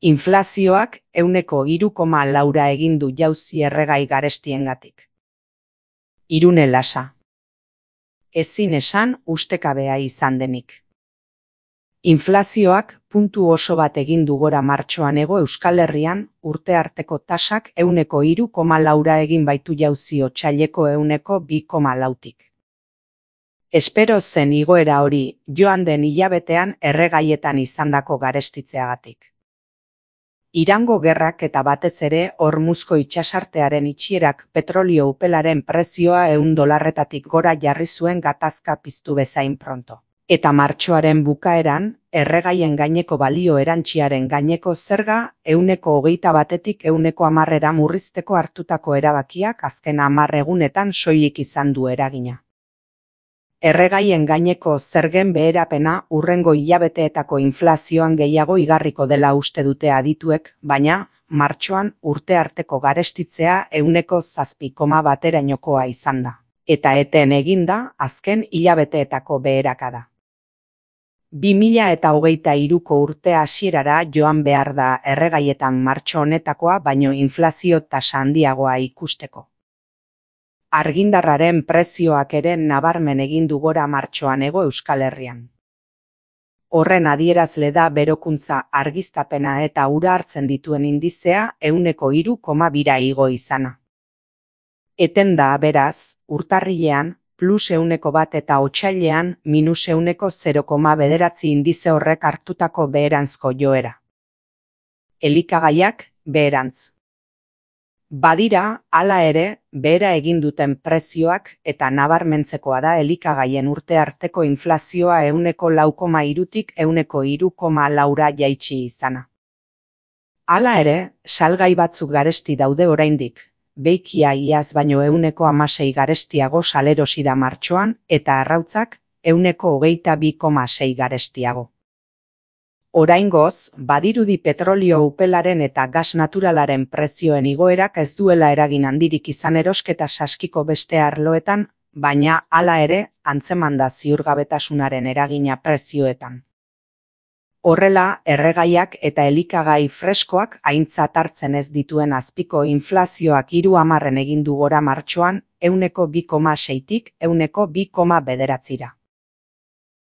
Inflazioak 3,4 egin du jauzi erregai garestiengatik. Irune Lasa. Ezin esan ustekabea izan denik. Inflazioak puntu oso bat egin du gora martxoan Hego Euskal Herrian, urte arteko tasak 3,4 egin baitu jauzi otsaileko 2,4tik. Espero zen igoera hori joan den hilabetean erregaietan izandako garestitzeagatik. Irango gerrak eta batez ere Hormuzko itsasartearen itxierak petrolio upelaren prezioa $100 gora jarri zuen gatazka piztu bezain pronto. Eta martxoaren bukaeran, erregaien gaineko balio erantsiaren gaineko zerga 21%tik 10% murrizteko hartutako erabakiak azken 10 egunetan soilik izan du eragina. Erregaien gaineko zergen beherapena hurrengo hilabeteetako inflazioan gehiago igarriko dela uste dute adituek, baina, martxoan urte arteko garestitzea 7,1erainokoa izan da. Eta eten egin da azken hilabeteetako beherakada. 2023ko urte hasierara joan behar da erregaietan martxo honetakoa baino inflazio tasa handiagoa ikusteko. Argindarraren prezioak ere nabarmen egin du gora martxoan Hego Euskal Herrian. Horren adierazle da berokuntza argiztapena eta ura hartzen dituen indizea 3,2 igo izana. Eten da beraz, urtarrilean, +1 eta otsailean -0,9 indize horrek hartutako beheranzko joera. Elikagaiak, beherantz. Badira, hala ere, behera egin duten prezioak eta nabarmentzekoa da elikagaien urte arteko inflazioa 4,3tik 3,4ra jaitsi izana. Hala ere, salgai batzuk garesti daude oraindik, beikia iaz baino 6% garestiago salerosi da martxoan eta arrautzak 22,6 garestiago. Oraingoz, badirudi petrolio upelaren eta gas naturalaren prezioen igoerak ez duela eragin handirik izan erosketa saskiko beste arloetan, baina hala ere antzeman da ziurgabetasunaren eragina prezioetan. Horrela, erregaiak eta elikagai freskoak aintzat hartzen ez dituen azpiko inflazioak 3 egin du gora martxoan 2,6tik 2,9ra.